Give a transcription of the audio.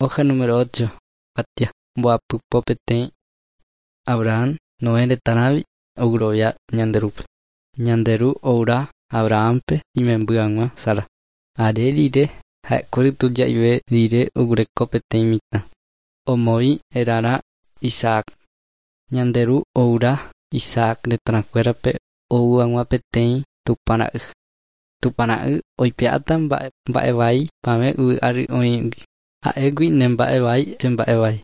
Hoja número 8, kuatia 21. Abraham, Noé retãrãvi oguerovia Ñande Rúpe. Ñande Ru oura Abrahampe imemby hag̃ua Sara. Are rire ha'ekuéra tuja'ive rire oguereko peteĩ mitã. Omoĩ herarã Isaac. Ñande Ru oura Isaac retãkuérape ou hag̃ua peteĩ Tupãra'y. Tupãra'y oipe'áta mba'e mba'evai pavẽ yvy ári oĩgui. Ha'égui ne mba'evai che mba'evai.